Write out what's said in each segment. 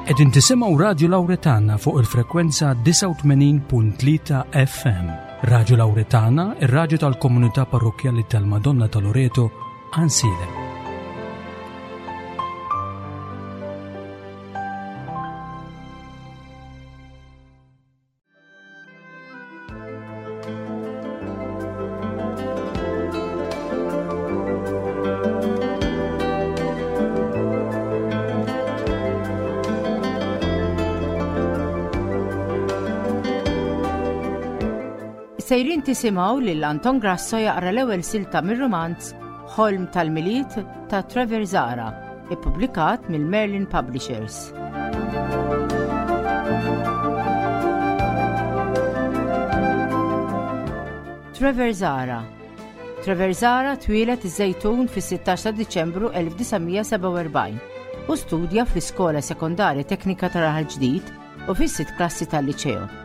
Qegħdin tisimgħu Radju Lawretana fuq il-frekwenza 89.3 FM. Radju Lawretana, ir-radju tal-komunità parrokkjali tal-Madonna ta' Loreto, Ansilem. Sejrin tisimgħu lil Anton Grasso jaqra l-ewwel silta mir-rumanz Ħolm tal-Milied ta' Trevor Zara, ippubblikat mill-Merlin Publishers. Trevor Zara Trevor Zara twieled iż-Żejtun fis-16 ta' Diċembru 1947 u studja fl-Iskola Sekondarja Teknika ta' Raħal Ġdid u fis-sitt klassi tal-Liċeo.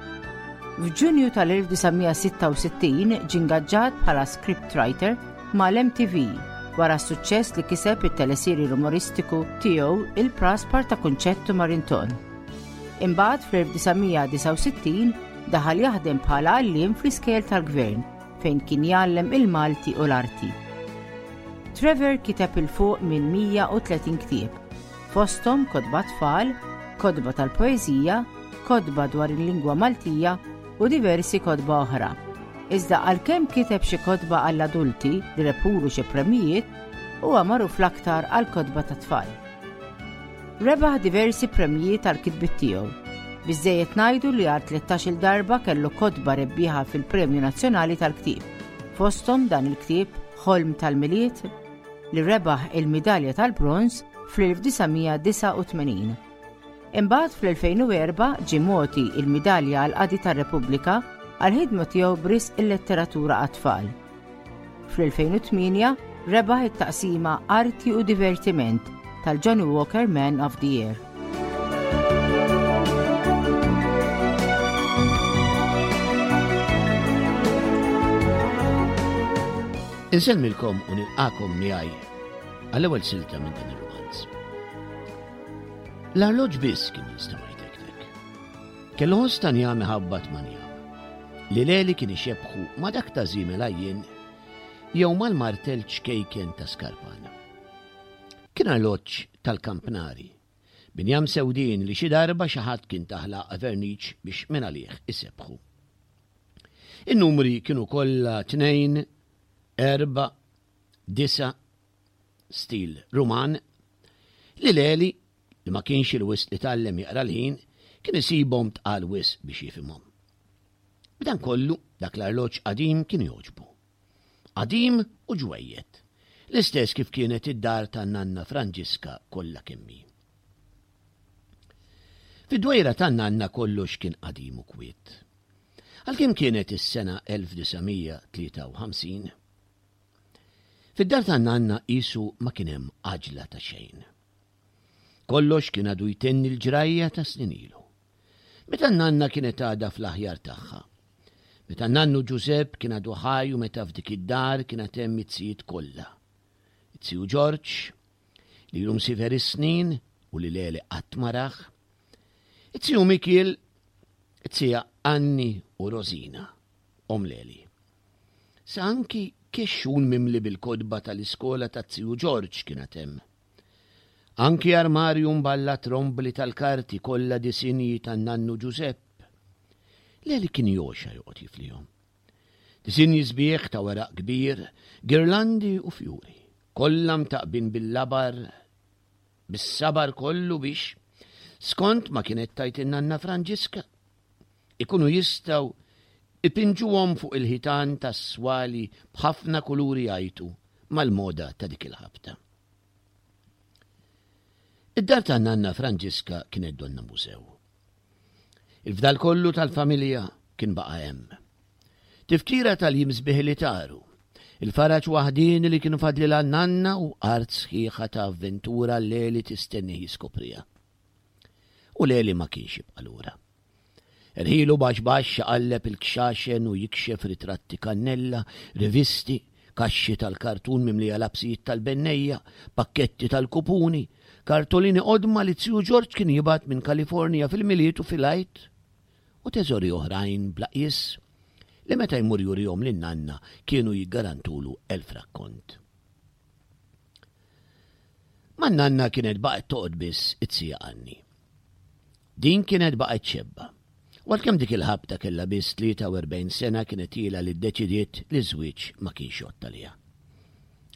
F'Ġunju tal-1966 ġie ngaġġat bħala scriptwriter mal-MTV wara s-suċċess li kiseb it-teleserje umoristiku tiegħu Il-Praspar ta' Kunċett u Marinton. Imbagħad fl-1969 daħal jaħdem bħala għalliem fl-iskejjel tal-gvern fejn kien jgħallem il-Malti u l-arti. Trevor kiteb 'il fuq minn 130 ktieb, fosthom kotba tfal, kotba tal-poeżija, kotba dwar il-lingwa Maltija u diversi kotba oħra. Iżda għalkemm kiteb xi kotba għall-adulti li rebħulu xi premjijiet, huwa magħruf l-aktar għall-kotba tat-tfal. Rebaħ diversi premjijiet għall-kitbiet tiegħu. Biżżejjed ngħidu li għal tlettax-il darba kellu kotba rebbieħa fil-Premju Nazzjonali tal-Ktieb, fosthom dan il-ktieb Ħolm tal-Milied li rebaħ il-midalja tal-bronż fl-1989. Imbagħad fl-2004 ġie mogħti l-Midalja għall-Qadi tar-Repubblika għall-ħidma tiegħu b'risq il-letteratura għat-tfal. Fl-2008 rebaħ it-taqsima Arti u Divertiment tal-Johnnie Walker Man of the Year. Insellmilkom u nilqakom miegħi għall-ewwel silta minn dan ir-romanz. L-arloġġ biss kien jinstema' jtektek. Kellu ħoss ta' njam iħabbat ma' njam. Li Leli kien ixebbħu ma' dak ta' żiemel għajjien jew mal-martell ċkejken ta' skarpan. Kien arloġġ tal-kampnari, b'injam sewdien li xi darba xi ħadd kien tah lagħqa verniċ biex mingħalih isebbħu. In-numri kienu kollha tnejn, erbgħa, disgħa, stil Ruman, li Leli, li ma kienx il-wisq li tgħallem jaqra l-ħin, kien isibhom tqal wisq biex jifhimhom. B'dan kollu, dak l-arloġġ qadim kien jogħġbu. Qadim u ġwejjed, l-istess kif kienet id-dar tan-nanna Franġiska kollha kemm hi. Fid-dwejra tan-nanna kollox kien qadim u kwiet. Għalkemm kienet is-sena 1953, Fid-dar tan-nanna qisu ma kien hemm għaġla ta' xejn. Kollox kien għadu jtenni l-ġrajja ta' snin ilu. Meta n-nanna kienet għadha fl-aħjar tagħha. Meta n-nannu Ġużepp kien għadu ħaj u meta f'dik id-dar kien għad hemm it-zijiet kollha. It-ziju Ġorġ, li ilu msiefer is-snin u li Leli qatt ma rah. It-ziju Mikiel, it-zija Anni u Rosina, omm Leli. Sa anki kexxun mimli bil-kotba tal-iskola taz-ziju Ġorġ kien għad hemm. Anki armarju mballat rombli tal-karti kollha disinji tan-nannu Ġużepp. Leli kien jogħxa joqgħod jiflihom. Disinji sbieħ ta' weraq kbir, girlandi u fjuri, kollha mtaqqbin bil-labar, bis-sabar kollu biex, skont ma kienet tgħid in-nanna Franġiska, ikunu jistgħu ipinġuhom fuq il-ħitan tas-swali b'ħafna kuluri jgħajtu mal-moda ta' dik il-ħabta. Id-dar tan-nanna Franġiska kienet donna mużew. Il-fdal kollu tal-familja kien baqa' hemm. Tifkira tal-jiem sbieħ li taru, il-faraġ waħdieni li kienu fadlilha n-nanna u art sħiħa ta' avventura Leli tistennih jiskopriha. U Leli ma kienx jibqa' lura. Erħilu baxx baxx iqalleb il-kxaxen u jikxef ritratti kannella, rivisti, Kaxxi tal-kartun mimlija lapsijiet tal-bennejja, pakketti tal-kupuni, kartolini qodma li ziju Ġorġ kien jibgħat minn Kalifornija fil-Milied u fil-Għid, u teżori oħrajn bla qies li meta jmur jurihom lin-nanna kienu jiggarantulu elf rakkont. Man-nanna kienet baqgħet toqgħod biss it-sija Anni. Din kienet baqgħet xebba. U għalkemm dik il-ħabta kellha biss 43 sena kienet ilha li ddeċidiet li ż-żwieġ ma kienx jgħodd għaliha.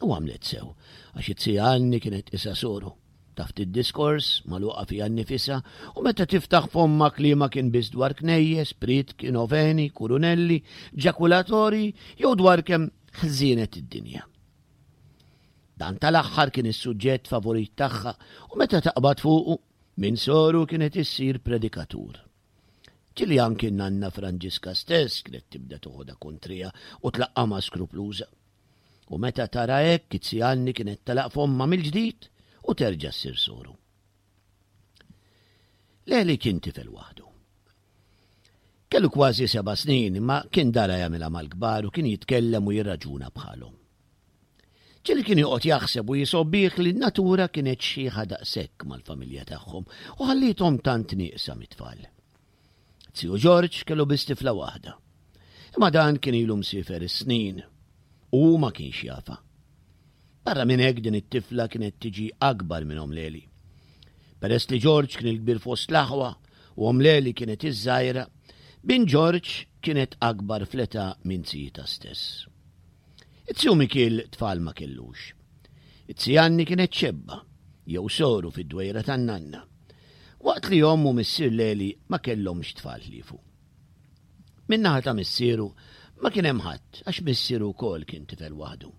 U għamlet sew, għax it-sija Anni kienet qisha soru. Taf tid-diskors, magħluqa fiha nnifisha, u meta tiftaħ fommha kliemha kien biss dwar knejjes, prietki, noveni, kurunelli, ġakulatorji jew dwar kemm ħżienet id-dinja. Dan tal-aħħar kien is-suġġett favorit tagħha u meta taqbad fuqu, minn soru kienet issir predikatur. Ġieli anki n-nanna Franġiska stess kienet tibda toħodha kontriha u tlaqqamha skrupluża. U meta tara hekk, it-Sianni kienet tagħlaq fommha mill-ġdid u terġa' ssir soru. Leli kien tifel waħdu. Kellu kważi seba' snin, imma kien dara jagħmilha mal-kbar u kien jitkellem u jirraġuna bħalhom. Ġieli kien joqgħod jaħseb u jisobbih li n-natura kienet xħiħa daqshekk mal-familja tagħhom u ħalliethom tant nieqsa mit-tfal. Ziju Ġorġ kellu biss tifla waħda. Imma dan kien ilu msiefer is-snin u hu ma kienx jafha. Barra minn hekk din it-tifla kienet tiġi akbar minn omm Leli. Peress li Ġorġ kien il-kbir fost l-aħwa u omm Leli kienet iż-żgħira, bin Ġorġ kienet akbar fl-età minn zijitha stess. It-ziju Mikiel tfal ma kellux. It-zijanni kienet xebba, jew soru fid-dwejra tan-nanna. Waqt li omm u missier Leli ma kellhomx tfal ħliefu. Min-naħa ta' missieru ma kien hemm ħadd għax missieru wkoll kien tifel waħdu.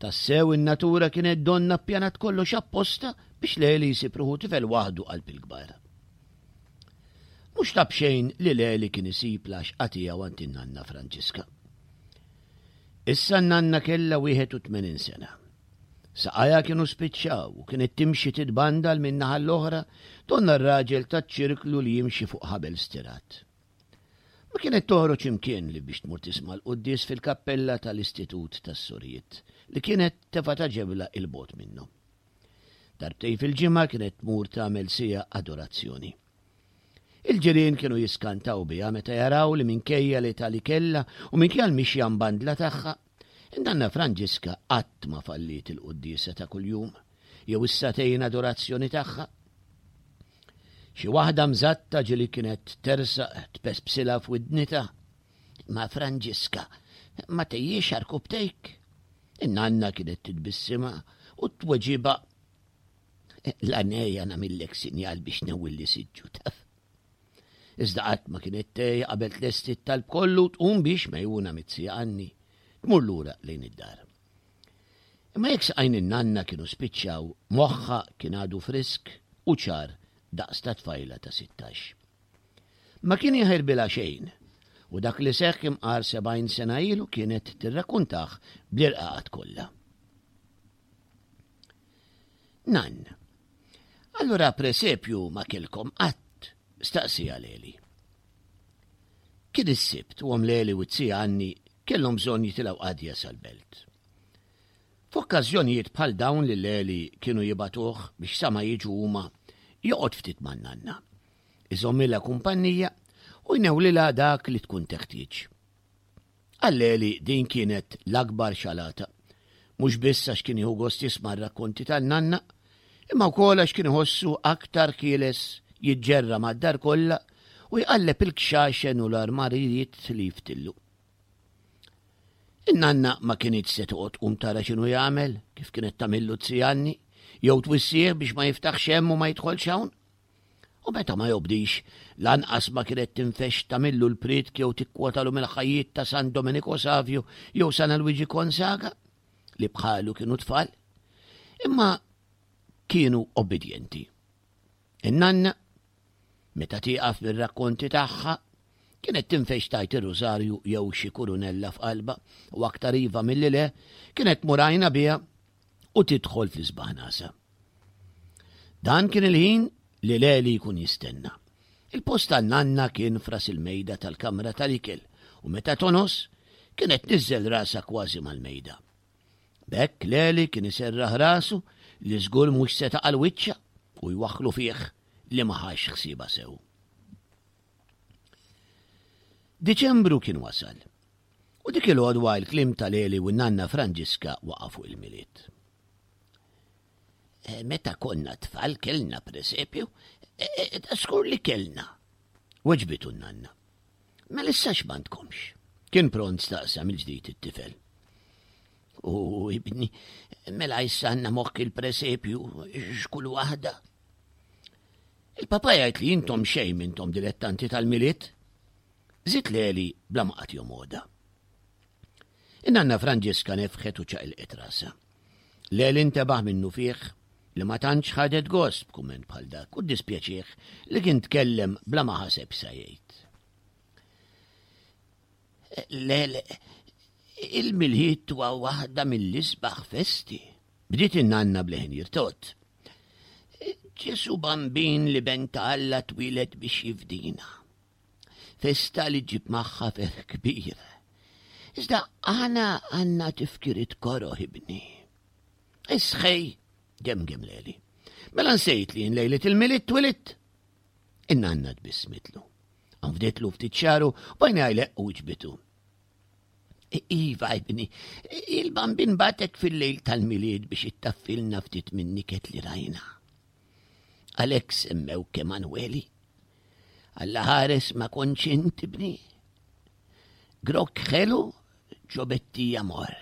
Tassew in-natura kienet donna ppjanat kollox apposta biex Leli jsib ruħu tifel waħdu qalb il-kbar. Mhux ta' b'xejn li Leli kien isib l-għaxqa tiegħu għand in-nanna Franġiska. Issa n-nanna kellha 81 sena. Saqajha kienu spiċċaw u kienet timxi titbandal minn naħa l-oħra donna r-raġel taċ-ċirklu li jimxi fuq ħabel stirat. Ma kienet toħroġ imkien li biex tmur tisma' l-quddies fil-kappella tal-Istitut tas-Sorijiet li kienet tefgħa ta' ġebla 'il bogħod minnhom. Darbtejn fil-ġimgħa kienet tmur tagħmel siegħa adorazzjoni. Il-ġirien kienu jiskantaw biha meta jaraw li minkejja l-età li kellha u minkejja l-mixja mbandla tagħha, in-nanna Franġiska qatt ma falliet il-quddiesa ta' kuljum jew is-sagħtejn adorazzjoni tagħha. Xi waħda mżatta ġieli kienet tersaq tpespsilha f'widnitha, Ma Franġiska, ma tgħejjiex għarkupptejk? In-nanna kienet titbissimha u tweġibha L-għanejja nagħmillek sinjal biex newwilli siġġu taf. Iżda qatt ma kienet tgħejja qabel tlesti t-talb kollu tqum biex megħjuna mit-zija Anni tmur lura lejn id-dar. Imma jekk saqajn in-nanna kienu spiċċaw, moħħha kien għadu frisk u ċar daqs ta' tfajla ta' 16. Ma kien jaħirbilha xejn u dak li seħħ imqar 70 sena ilu kienet tirrakkuntah bl-irqaqat kollha. Nann. Allura presepju ma kellkom qatt? staqsieha Leli. Kien is-Sibt u omm Leli u t-zija Anni kellhom bżonn jitilgħu qadja sal-belt. F'okkażjonijiet bħal dawn lil Leli kienu jibagħtuh biex sa ma jiġu huma joqgħod ftit man-nanna. Iżommilha kumpannija u jnewlilha dak li tkun teħtieġ. Għal Eli din kienet l-akbar xalata. Mhux biss għax kien jieħu gost jisma' r-rakkonti tan-nanna, imma wkoll għax kien iħossu aktar ħieles jiġġerra mad-dar kollha u jqalleb il-kxaxen u l-armarijiet li jftillu. In-nanna ma kinitx se toqgħod tqum tara x'inhu jagħmel, kif kienet tagħmillu t-Anni, jew twissih biex ma jiftaħx hemm u ma jidħolx hawn. U meta ma jobdix, lanqas ma kienet tinfexx tagħmillu l-prietk jew tikkwotalu mill-ħajjiet ta' San Domenico Savio jew San Alwiġi Gonzaga, li bħalu kienu tfal, imma kienu obbedjenti. In-nanna, meta tieqaf mir-rakkonti tagħha, kienet tinfexx tgħid ir-rużarju jew xi kurunella f'qalbha u aktar iva milli le, kienet tmur għajnha biha u tidħol fl-isbaħ nasa. Dan kien il-ħin li Leli jkun jistenna. Il-post tan-nanna kien fras il-mejda tal-kamra tal-ikel u meta tonos, Kienet tniżżel rasha kważi mal-mejda. B'hekk Leli kien iserraħ rasu li żgur mhux se taqa' l-wiċċa u jwaħħlu fih li ma ħax ħsiebha sew. Diċembru kien wasal. U dik il-għodwa il-kliem ta' Leli u n-nanna Franġiska waqa' fuq il-Milied. Eh, meta konna tfal kellna presepju, eh, eh, ta' skur li kellna. Weġbitu n-nanna. Mela issa x'm'għandkomx? Kien pront staqsa mill-ġdid it-tifel. U ibni, mela issa għandna mokk il-presepju x'kull waħda. Il-papa jgħid li intom xejn mintom dilettanti tal-Milied. Żied Leli bla ma qagħad jomgħodha. In-nanna Franġiska nefħet u ċaqilqet rasha. Leli ntebaħ minnufih li ma tantx ħadet gost b'kumment bħal dak u ddispjaċih li kien tkellem bla ma ħaseb sa jgħid. Lele, il-Milied huwa waħda mill-isbaħ festi. Bdiet in-nanna b'leħen jirtot. Ġesu Bambin li ben ta' Alla twieled biex jifdina. Festa li ġib magħha ferħ kbir. Iżda aħna għandna tifkiriet koroh ibni. Isħej, gemgem Leli. Mela nsejt li jien lejlet il-Milied twilidt. In-nanna tbissmitlu. Anfditlu ftit xagħru u bajna jleqq u ġbitu. Iva, ibni, il-bambin batek fil-lejl tal-Milied biex ittaffilna ftit minn niket li rajna. Għalhekk semmewk Emanueli. Alla ħares ma kontx int ibni. Grokk ħelu ġobettija morr.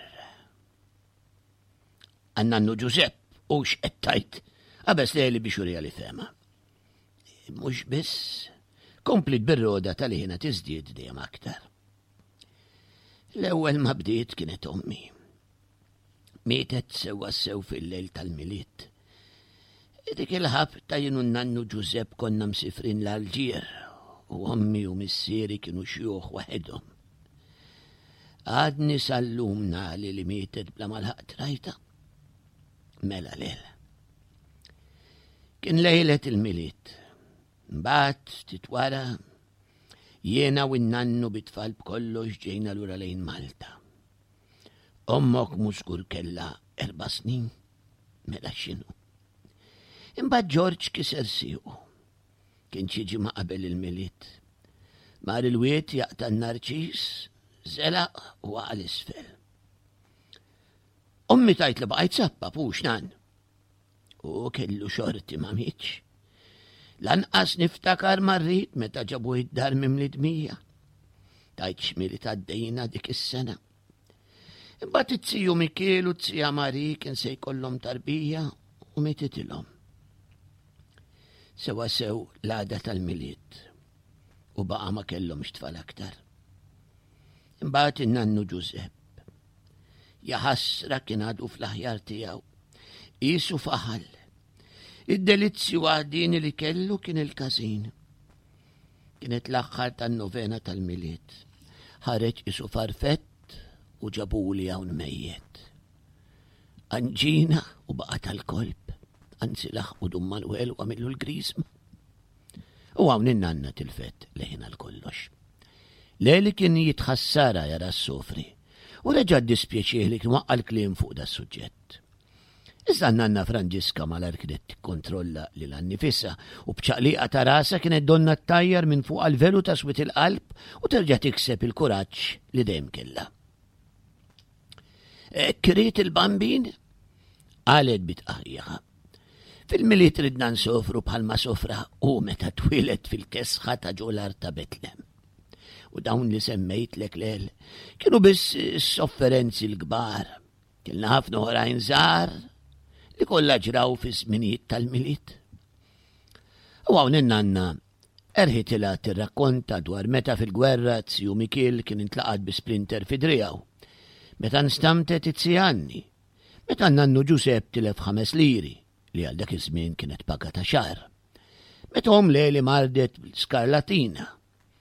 Għan-nannu Ġużepp u x'qed tajt, qabeż Leli biex uriha li fehma. Mhux biss, kompliet bir-roda tal-ħina tiżdied dejjem aktar. L-ewwel ma bdiet kienet ommi. Mietet sewwa sew fil-lejl tal-Milied. Dik il-ħabta jien u n-nannu Ġużepp konna msifrin l-Alġier u ommi u missieri kienu xjuħ waħedhom. Għadni sal-lum nali li mietet bla ma lħaqt rajta. Mela lel. Kien lejlet il-Milied. Mbagħad ftit wara jiena u n-nannu bit-tfal b'kollox ġejna lura lejn Malta. Ommok mhux żgur kellha erba' snin, mela x'inhu. Imbagħad Ġorġ kiser siequ. Kien xi ġimgħa qabel il-Milied. Mar il-wied jaqta' n-narċis, żelaq u waqa' l-isfel. Ommi tajt li baqajt sappa pux nan. U kellu xorti ma mietx. Lanqas niftakar marrit meta ġabu id-dar mimli dmija. Tajt xmili taddejna dik is-sena. Imbagħad it-tiju Mikiel u t-tija Mari kien se jkollhom tarbija u mititilhom. Sewa sew l-għada tal-Milied u baqa' ma kellhomx tfal aktar. Imbagħad in-nannu Ġużepp. Jaħasra kien għadu fl-aħjar tiegħu. Qisu faħal. Id-delizzju waħdini li kellu kien il-każin. Kienet l-aħħar tan-novena tal-Milied. Ħareġ isu farfett u ġabuli hawn mejjet. Anġina u baqa' tal-kolb, anzi laħqu Dun Manuel u għamillu l-griżma. U hawn in-nanna tilfet leħin għal kollox. Leli kien jitħassara jara s-sofri u reġa' ddispjaċih li kien waqqa' l-kliem fuq das-suġġett. Iżda n-nanna Franġiska malajr kienet tikkontrolla lilha nnifisha u b'ċaqliqa ta' rasha kienet donnha ttajjar minn fuqha l-velu ta' swied il-qalb u terġa' tikseb il-kuraġġ li dejjem kellha. Hekk irid il-Bambin? qalet bi tqarrieħa. Fil-Milied ridna nsofru bħalma sofra hu meta twieled fil-kesħa ta' ġo l-art ta' Betlem. U dawn li semmejtlek lel kienu biss is-sofferenzi l-kbar. Kellna ħafna oħrajn żgħar li kollha ġraw fi żminijiet tal-Milied. U hawn in-nanna erħitilha tirrakkonta dwar meta fil-gwerra ziju Mikiel kien intlaqat bi splinter fi driegħu, meta nstamtet it-zija Anni, meta n-nannu Ġusepp tilef ħames liri li għal dak iż-żmien kienet paga ta' xahar, meta omm Leli mardet bl-skarlatina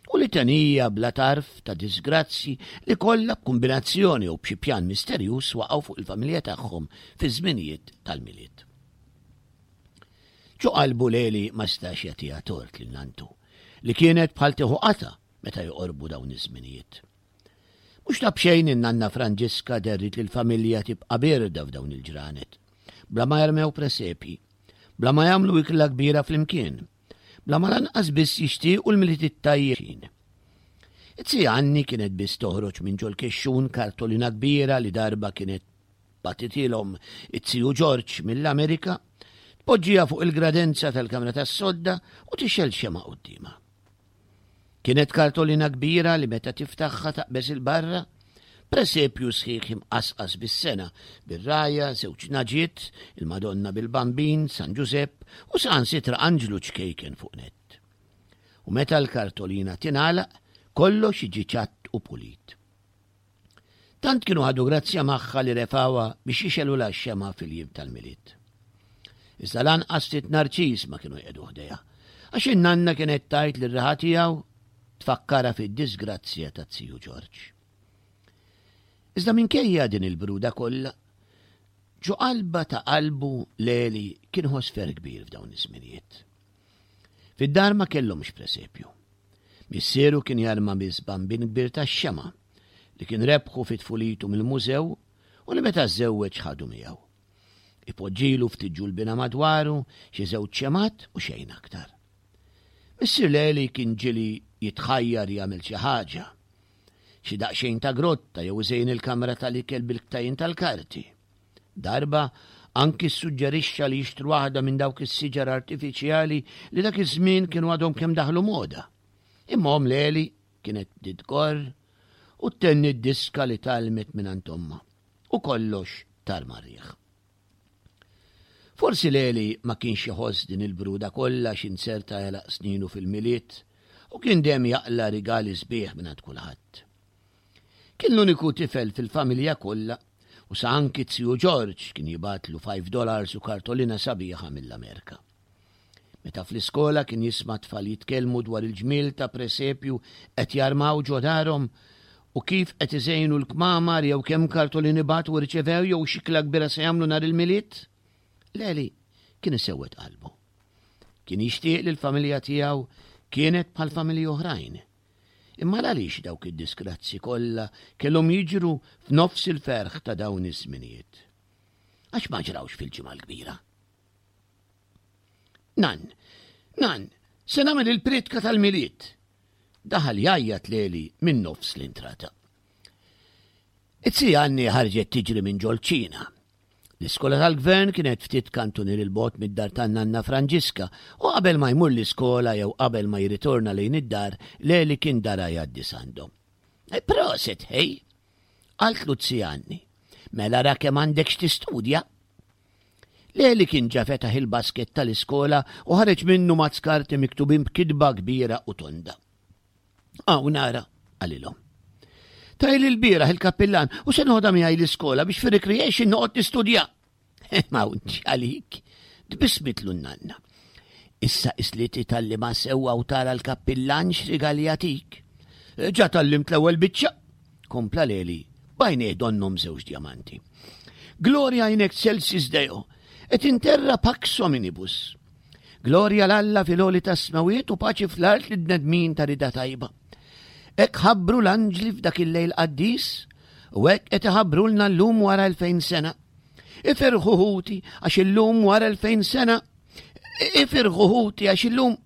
u litanija bla tarf ta' diżgrazzji li kollha b'kumbinazzjoni jew b'xi pjan misterjuż waqgħu fuq il-familja tagħhom fiż-żminijiet tal-Milied. Ġo qalbu Leli ma stax jagħtiha tort lil nantu, li kienet bħal tieħu qatgħa meta joqorbu dawn iż-żminijiet. Mhux ta' b'xejn in-nanna Franġiska derrit li l-familja tibqa' bierda f'dawn il-ġranet, bla ma jarmew presepji, bla ma jagħmlu ikla kbira flimkien, bla ma lanqas biss jixtiequ l-Milied it-tajjeb. It-zija Anni kienet biss toħroġ minn ġol-kexxun kartolina kbira li darba kienet bagħtitilhom it-ziju Ġorġ mill-Amerika, tpoġġiha fuq il-gradenza tal-kamra tas-sodda u tixgħel xemgħa quddiemha. Kienet kartolina kbira li meta tiftaħha taqbeż 'il barra, presepju sħiħ imqasqas bis-sengħa, bir-rgħajja, żewġ naġiet, il-Madonna bil-Bambin, San Ġużepp u saħansitra anġlu ċkejken fuq nett. U meta l-kartolina tingħalaq, kollox jiġi ċatt u pulit. Tant kienu ħadu grazzja magħha li refgħuha biex jixegħlulha x-xemgħa fil-jiem tal-Milied. Iżda lanqas ftit narċis ma kienu jqiegħdu ħdejha, għax in-nanna kienet tgħid li r-riħa tiegħu tfakkarha fid-diżgrazzja ta' ziju Ġorġ. Iżda minkejja din il-bruda kollha, ġo qalba ta' qalbu Leli kien ħoss ferħ kbir f'dawn iż-żminijiet. Fid-dar ma kellhomx presepju. Missieru kien jarma biss bambin kbir tax-xemgħa li kien rebħu fi tfulitu mill-mużew u li meta żżewweġ ħadu miegħu. Ipoġġilu ftit ġulbina madwaru, xi żewġ xemgħat u xejn aktar. Missier Leli kien ġieli jitħajjar jagħmel xi ħaġa. Xi daqsxejn ta' grotta jew iżejjen il-kamra tal-ikel bil-ktajjen tal-karti. Darba anki ssuġġerixxa li jixtru waħda minn dawk is-siġar artifiċjali li dak iż-żmien kienu għadhom kemm daħlu moda. Imma omm Leli kienet bdiet tgorr u ttenni d-diska li tgħallmet mingħand ommha u kollox tar mar-riħ. Forsi Leli ma kienx iħoss din il-bruda kollha għax inzerta għelaq sninu fil-Milied u kien dejjem jaqla' rigali sbieħ mingħand kulħadd. Kien l-uniku tifel fil-familja kollha u sa anki z-ziju Ġorġ kien jibgħatlu $5 u kartolina sabiħa mill-Amerika. Meta fl-iskola kien jisma' tfal jitkellmu dwar il-ġmiel ta' presepju qed jarmaw ġo darhom u kif qed iżejnu l-kmamar jew kemm kartolini bagħtu u rċevew jew x'ikla kbira se jagħmlu nhar il-Milied, Leli kien isewwed qalbu. Kien jixtieq li l-familja tiegħu kienet bħal familji oħrajn. Imma l-għaliex dawk id-disgrazzi kollha kellhom jiġru f'nofs il-ferħ ta' dawn iż-żminijiet? Għax ma ġrawx fil-Ġimgħa l-Kbira? Nan, nan, se nagħmel il-priedka tal-Milied! Daħal jgħajjat Leli minn nofs l-intrata. It-zija Anni ħarġet tiġri minn ġol-ċina. L-iskola tal-gvern kienet ftit kantunier 'il bogħod mid-dar tan-nanna Franġiska u qabel ma jmur l-iskola jew qabel ma jirritorna lejn id-dar, Leli kien dara jgħaddi s'għandhom. Eh, proset, ħej! Qaltlu z-zija Anni. Mela ra kemm għandek x'tistudja. Leli kien ġa fetaħ il-basket tal-iskola u ħareġ minnu mazz karti miktubin b'kitba kbira u tonda. Hawn nara, qalilhom. Tajli l-bieraħ il-kappillan u se noħodha miegħi l-iskola biex fir-recreation noqgħod nistudja. Ma hawnx għalik, tbissmitlu n-nanna. Issa isli titgħallima sewwa u tara l-kappillan x'rigal jagħtik. Ġa tgħallimt l-ewwel biċċa, kompla Leli, b'għajnejh donnhom żewġ djamanti. Gloria in excelsis Deo, et in terra pax hominibus. Glorja 'l Alla fil-għoli tas-smewwiet u paċi fl-art lil-bnedmin ta' rida tajba. Hekk ħabbru l-anġli f'dak il-lejl qaddis u hekk qed iħabbrulna llum wara 2000 sena. Ifirħu ħuti għax illum wara 2000 sena. Ifirħu ħuti għax illum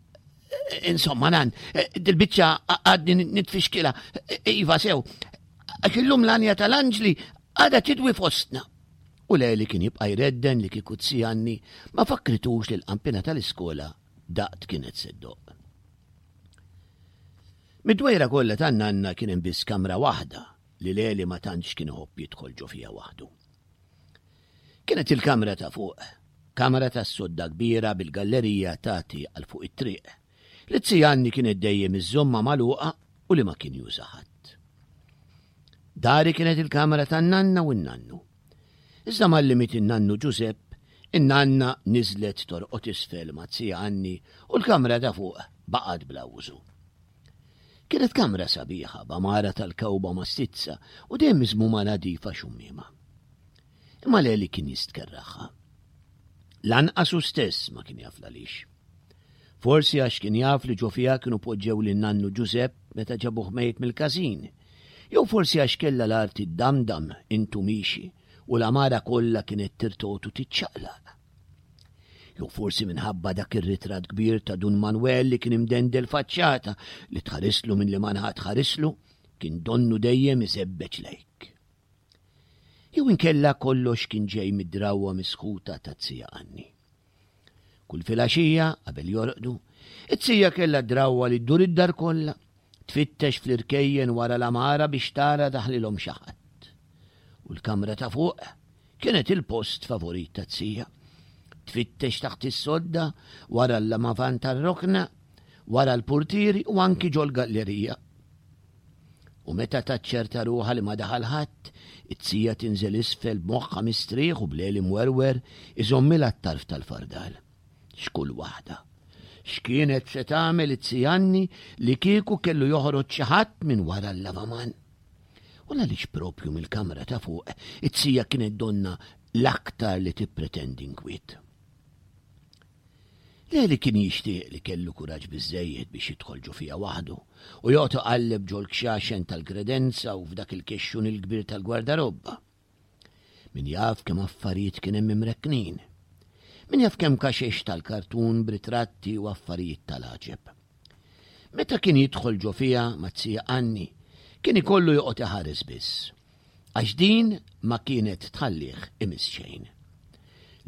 insomma nan, dil-biċċa għadni nitfixkila, iva sew, għax illum l-għanja tal-anġli għadha tidwi fostna. U Leli kien jibqa' jredden li kieku Zianni ma fakkritux li l-qampina tal-iskola daqt kienet se ddoqq. Mid-dwejra kollha tan-nanna kien hemm biss kamra waħda li Leli ma tantx kien iħobb jidħol ġo fiha waħdu. Kienet il-kamra ta' fuq, kamra tas-sodda kbira bil-gallerija tagħti għal fuq it-triq, li Zianni kienet dejjem iżżommha magħluqa u li ma kien juża ħadd. Dari kienet il-kamra tan-nanna u n-nannu. Iżda malli miet in-nannu Ġużepp, in-nanna niżlet torqod isfel ma' zija Anni u l-kamra ta' fuq baqgħet bla użu. Kienet kamra sabiħa b'għamara tal-kewba mastizza u dejjem miżmuma nadifa xummiema. Imma Leli kien jistkerraħha. Lanqas hu stess ma kien jaf l-għaliex. Forsi għax kien jaf li ġo fiha kienu poġġew lin-nannu Ġużepp meta ġabuh mejjet mill-każin. Jew forsi għax kellha l-art iddamdam int u miexi u l-għamara kollha kienet tirtogħod u tiċċaqlaq. Jew forsi minħabba dak ir-ritratt kbir ta' Dun Manwel li kien imdendel faċċata li tħarislu minn liema naħa tħarislu kien donnu dejjem iżebbeġ lejk. Jew inkella kollox kien ġej mid-drawwa misħuta taz-zija Anni. Kull filgħaxija, qabel jorqdu, it-zija kellha d-drawwa li ddur id-dar kollha, tfittex fl-irkejjen wara l-għamara biex tara daħlilhom xi ħadd. U l-kamra ta' fuq kienet il-post favorit taz-zija. Tfittex taħt is-sodda, wara l-lamavan tar-rokna, wara l-purtieri u anki ġol-gallerija. U meta taċċerta ruħha li ma daħal ħadd, it-zija tinżel isfel b'moħħha mistrieħ u b'leli mwerwer iżommilha t-tarf tal-fardal. X'kull waħda! X'kienet se tagħmel it-zija Anni li kieku kellu joħroġ xi ħadd minn wara l-lavaman? U l-għaliex propju mill-kamra ta' fuq it-zija kienet donnha l-aktar li tippretendi nkwiet? Leli kien jixtieq li kellu kuraġġ biżżejjed biex jidħol ġo fiha waħdu u joqgħod iqalleb ġol-kxaxen tal-kredenza u f'dak il-kexxun il-kbir tal-gwardarobba. Min jaf kemm affarijiet kien hemm imrekknin. Min jaf kemm kaxex tal-kartun b'ritratti u affarijiet tal-għaġeb. Meta kien jidħol ġo fiha mat-zija Anni, kien ikollu joqgħod iħares biss. Għax din ma kienet tħallih imiss xejn.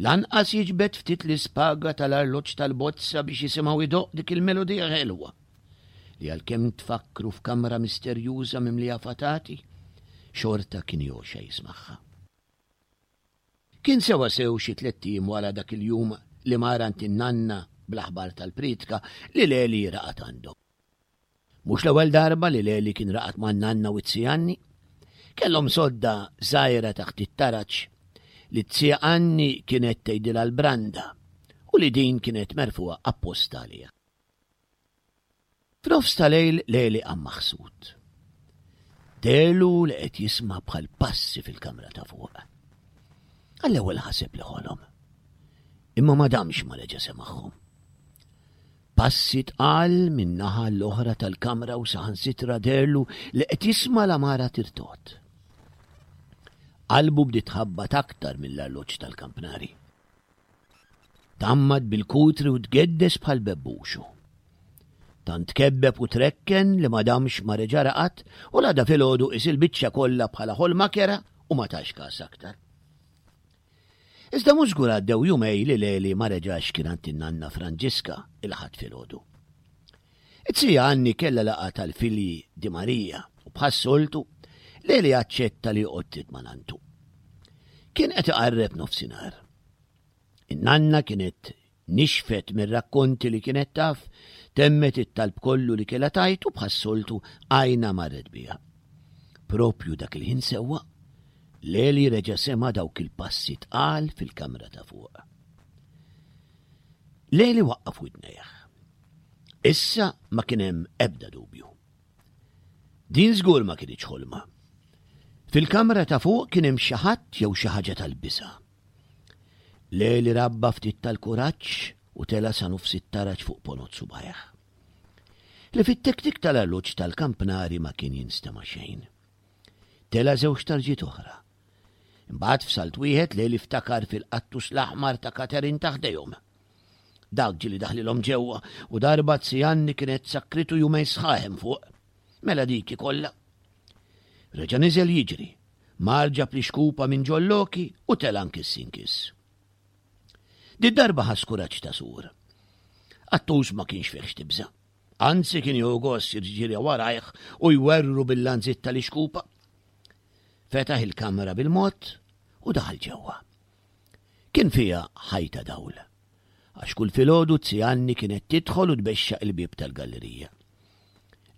Lanqas jiġbed ftit l-ispaga tal-arloġġ tal-bozza biex jisimgħu jdoqq dik il-melodija ħelwa li għalkemm tfakkru f'kamra misterjuża mimlija fatati, xorta kien jogħxa jismagħha. Kien sewwasew xi tlett ijiem wara dak il-jum li mar għand in-nanna bl-aħbar tal-prietka li Leli raqad għandhom. Mhux l-ewwel darba li Leli kien raqad man-nanna u t-zija Anni. Kellhom sodda żgħira taħt it-taraġ li t-zija Anni kienet tgħidilha l-branda u li din kienet merfugħa apposta għaliha. F'nofs ta' lejl Leli qam maħsud. Deherlu li qed jisma' bħal passi fil-kamra ta' fuq. Għall-ewwel ħaseb li ħolom. Imma ma damx ma reġa' semagħhom. Passi tqal min-naħa l-oħra tal-kamra u saħansitra deherlu li qed jisma' l-għamara tirtogħod. Qalbu bdiet tħabbat aktar mill-arloġġ tal-kampnari. Tgħammad bil-kutri u tgeddes bħal bebbuxu. Tant tkebbeb u trekken li ma damx ma reġa' raqad u l-għada filgħodu qis il-biċċa kollha bħala ħolma kerha u ma tax kas aktar. Iżda mhux żgur għaddew jumej li Leli ma reġax kien għand in-nanna Franġiska il-Ħadd filgħodu. It-zija Anni kellha laqgħa tal-filji Di Maria u bħas-soltu Leli aċċetta li joqgħod ftit ma' nanntu. Kien qed iqarreb nofsinhar. In-nanna kienet nixfet mir-rakkonti li kienet taf, temmet it-talb kollu li kellha tgħid u bħas-soltu għajnha marret biha. Propju dak il-ħin sewwa, Leli reġa' sema' dawk il-passi tqal fil-kamra ta' fuq. Leli waqqaf widnejh. Issa ma kien hemm ebda dubju. Din żgur ma kinitx ħolma. Fil-kamra ta' fuq kien hemm xi ħadd jew xi ħaġa tal-biża'. Leli rabba ftit tal-kuraġġ u tela' sa nofs it-taraġ fuq ponot subgħajh. Li fit-tektik tal-arloġġ tal-kampnari ma kien jinstema' xejn. Tela' żewġ tarġiet oħra. Imbagħad f'salt wieħed Leli ftakar fil-qattus l-aħmar ta' Katerin ta' ħdejhom. Dak ġieli daħlilhom ġewwa u darba Zianni kienet sakkritu jumejn sħaħ hemm fuq. Mela dik ikollha. Reġa' niżel jiġri Mar ġab l-ixkupa minn ġol-loki u tela' nkiss inkiss. Did-darba ħass kuraġġ ta' sur. Qattus ma kienx fih x'tibża'. Anzi kien jieħu gost jirġirja warajh u jwerwru bil-lanżit tal-ixkupa. Fetaħ il-kamra bil-mod u daħal ġewwa. Kien fiha ħajta dawl. Għax kull filgħodu Zianni kienet tidħol u tbexxaq il-bieb tal-gallerija.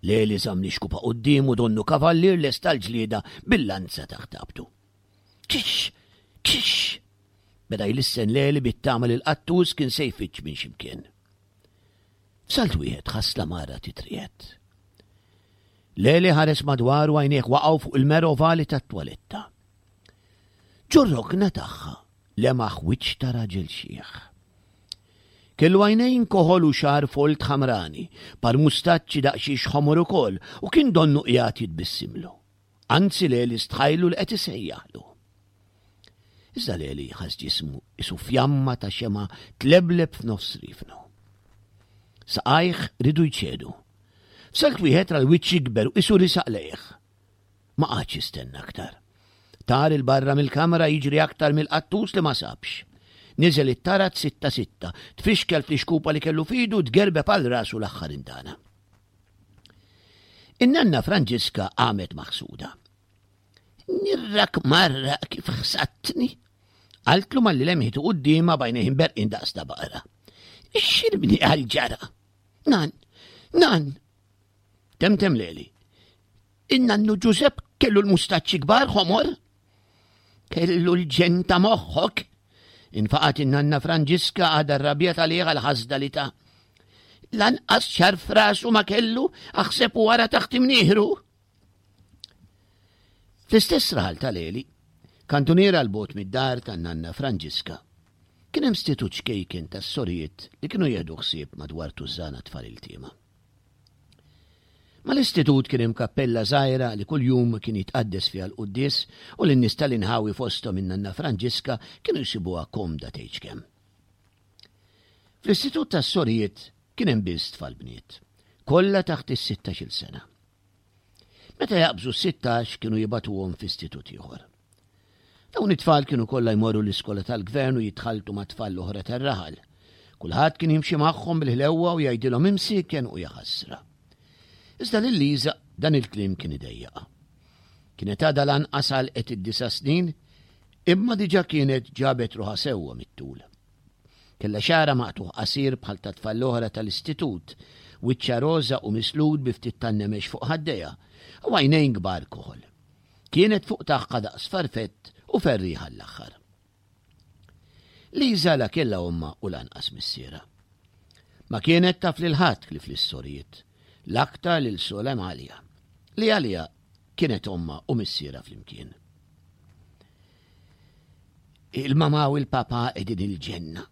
Leli żamm l-ixkupa quddiemu donnu kavallier lest għall-ġlieda bil-lanza taħt abtu. Kix! Kix! Beda jlissen Leli bit-tama li l-qattus kien se jfiġġ minn x'imkien. F'salt wieħed ħass l-għamara titriegħed. Leli ħares madwaru għajnejh waqgħu fuq il-mera ovali tat-twaletta. Ġor-rokna tagħha lemaħ wiċċ ta' raġel xiħ. Kellu għajnejn koħol u xagħar folt ħamrani, par mustaċċi daqsxiex ħomor ukoll u kien donnu qiegħed jitbissimlu. Anzi Leli stħajlu li qed isejjaħlu. Iżda Leli ħass ġismu isu fjamma ta' xema tlebleb f'nofs rifnu. Saqajh ridu jċedu. F'salt wieħed ra l-wiċċ jikber u isu risaq lejh. Ma qagħadx jistenna aktar. Tar 'il barra mill-kamra jiġri aktar mill-qattus li ma sabx. Niżel it-taraġ sitta sitta, tfixkel fl-ixkupa li kellu f'idu u tgerbeb għal rasu l-aħħar indana. In-nanna Franġiska qamet maħsuda. Nirrak marra kif ħsattni. Qaltlu malli lemħitu quddiemha b'għajnejh imberqin daqs ta' baqra. Xirbni għal ġara. Nan, nan, Temtem Leli. In-nannu Ġużepp kellu l-mustaċċi kbar ħomor. Kellu l-ġen ta' moħħok. Infaqat in-nanna Franġiska għadha rrabjat għalih għal-ħasda li ta' lanqas xar frasu ma kellu aħseb u wara taħt imnieħru. Fl-istess raħal ta' Leli, kantuniera l-bot mid-dar tan-nanna Franġiska, kien hemm stitut ċkejken tas-sorijiet li kienu jieħdu ħsieb madwar tużżana tfal iltiema. Mal-istitut kien hemm kappella żgħira li kuljum kien jitqaddes fiha l-quddies u li n-nies tal-inħawi fosthom in-nanna Franġiska kienu jsibuha komda tgħidx kemm. Fl-istitut tas-sorijiet kien hemm biss tfal bniet, kollha taħt is-sittax-il sena. Meta jaqbżu s-sittax kienu jibagħtuhom f'istitut ieħor. Dawn it-tfal kienu kollha jmorru l-iskola tal-gvern u jitħalltu mat-tfal l-oħra tar-raħal. Kulħadd kien jimxi magħhom bil-ħlewwa u jgħidilhom imsieken u jaħasra. Iżda lil Liża dan il-kliem kien idejjaqha. Kienet għadha lanqas għalqet id-disa' snin, imma diġà kienet ġabet ruħha sewwa mit-tul. Kellha xagħarha maqtugħ qasir bħal tat-tfal l-oħra tal-istitut, wiċċha roża u mislud bi ftit tan-nemex fuq ħaddejha, u għajnejn kbar koħol. Kienet fuq tagħha daqs farfett u ferrieħa għall-aħħar. Liża la kellha ommha u lanqas missierha. Ma kienet taf lil ħadd ħlief lis-sorijiet, l-aktar lil Sol Emalia, li għaliha kienet ommha u missierha flimkien. Il-mama u l-papa qegħdin il-ġenna.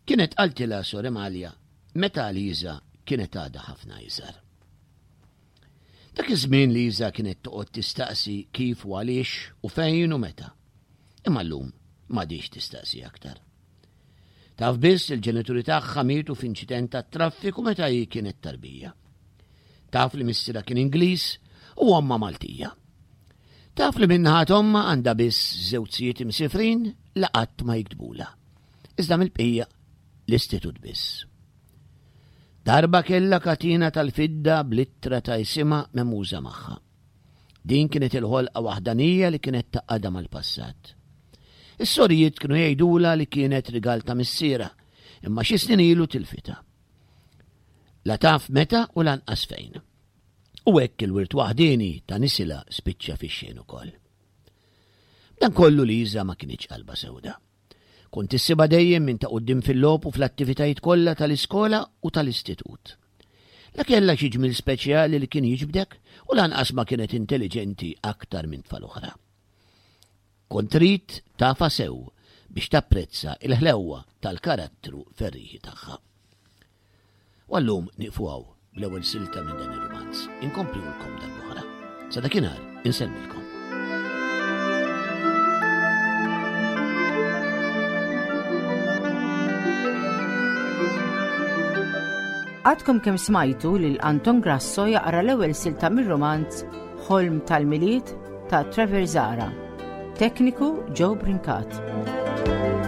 Kienet qaltilha Sor Emalia meta Liża kienet għadha ħafna iżgħar. Dak iż-żmien Liża kienet toqgħod tistaqsi kif u għaliex u fejn u meta. Imma llum m'għadhiex tistaqsi aktar. Taf biss li l-ġenituri tagħha mietu f'inċident tat-traffiku meta hi kienet tarbija. Taf li missierha kien Ingliż u ommha Maltija. Taf li min-naħa t'ommha għandha biss żewġ sijiet imsifrin li qatt ma jiktbulha. Iżda mill-bqija l-istitut biss. Darba kellha katina tal-fidda bl-ittra ta' isimha memuża magħha. Din kienet il-ħolqa waħdanija li kienet tgħaqqadha mal-passat. Is-sorijiet kienu jgħidulha li kienet rigal ta' missierha, imma xi snin ilu tilfitha. La taf meta u lanqas fejn. U hekk il-wirt waħdieni ta' nisilha spiċċa fix-xejn ukoll. Dan kollu Liża ma kinitx qalba sewda. Kont issibha dejjem minn ta' quddiem fil-logħob u fl-attivitajiet kollha tal-iskola u tal-istitut. La kellha xi ġmiel speċjali li kien jiġbdek u lanqas ma kienet intelliġenti aktar minn tfal oħra. Kont trid tafha sew biex tapprezza l-ħlewwa tal-karattru ferrieħi tagħha. U għallum nieqfu hawn bl-ewwel silta minn dan ir-rumanz. Inkomplulkom darb'oħra. Sa dakinhar insellmilkom. Għadkom kemm smajtu lil Anton Grasso jaqra l-ewwel silta mir-rumanz Ħolm tal-Milied ta' Trevor Zara. Tekniku Joe Brincat.